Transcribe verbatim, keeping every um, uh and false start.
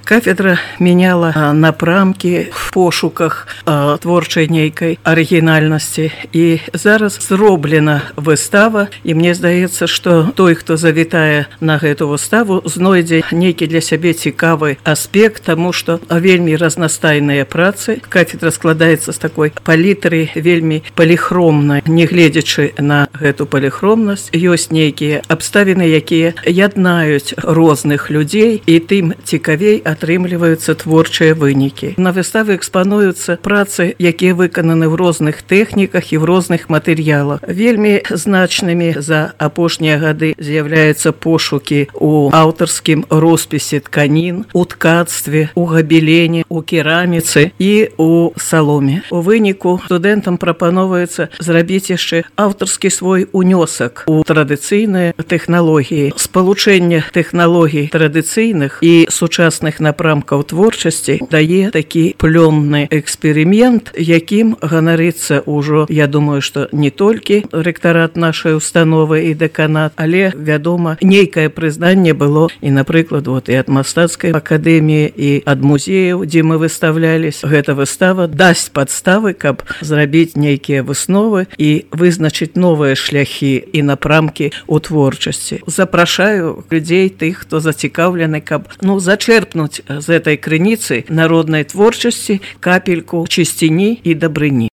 Кафедра мяняла напрамкі в пошуках творчай нейкай арыгінальнасці. І зараз зроблена выстава, і мне здаецца, што той, хто завітае на гэту выставу, знойдзе нейкі для сябе цікавы аспект, таму што вельмі разнастайныя працы. Кафедра складаецца з такой палітры вельмі паліхромнай. Нягледзячы на гэту паліхромнасць, ёсць нейкія абставіны, якія яднаюць розных людзей, і тым цікавей атрымліваюцца творчыя вынікі. На выставе экспануюцца працы, якія выкананы ў розных тэхніках і ў розных матэрыялах. Вельмі значнымі за апошнія гады з'яўляюцца пошукі ў аўтарскім роспісе тканін, у ткацтве, у габелене, у кераміцы і у саломе. У выніку студэнтам прапановваецца зрабіць яшчэ аўтарскі свой унёсак у традыцыйныя тэхналогіі. Спалучэнне тэхналогій традыцыйных і сучасных напрамкаў творчасці дае такі плённы эксперымент, якім ганарыцца ўжо, я думаю, што не толькі рэктарат нашай установы і дэканат, але, вядома, нейкае прызнанне было і, напрыклад, вот, і ад мастацкай акадэміі, і ад музеяў, дзе мы выставлялись. Гэта выстава дасць падставы, каб зрабіць нейкія высновы і вызначыць новыя шляхі і напрамкі ў творчасці. Запрашаю людзей, тых, хто зацікаўлены, каб ну, зачерпнуць з этой крыніцы народнай творчасці капельку чысціні і дабрыні.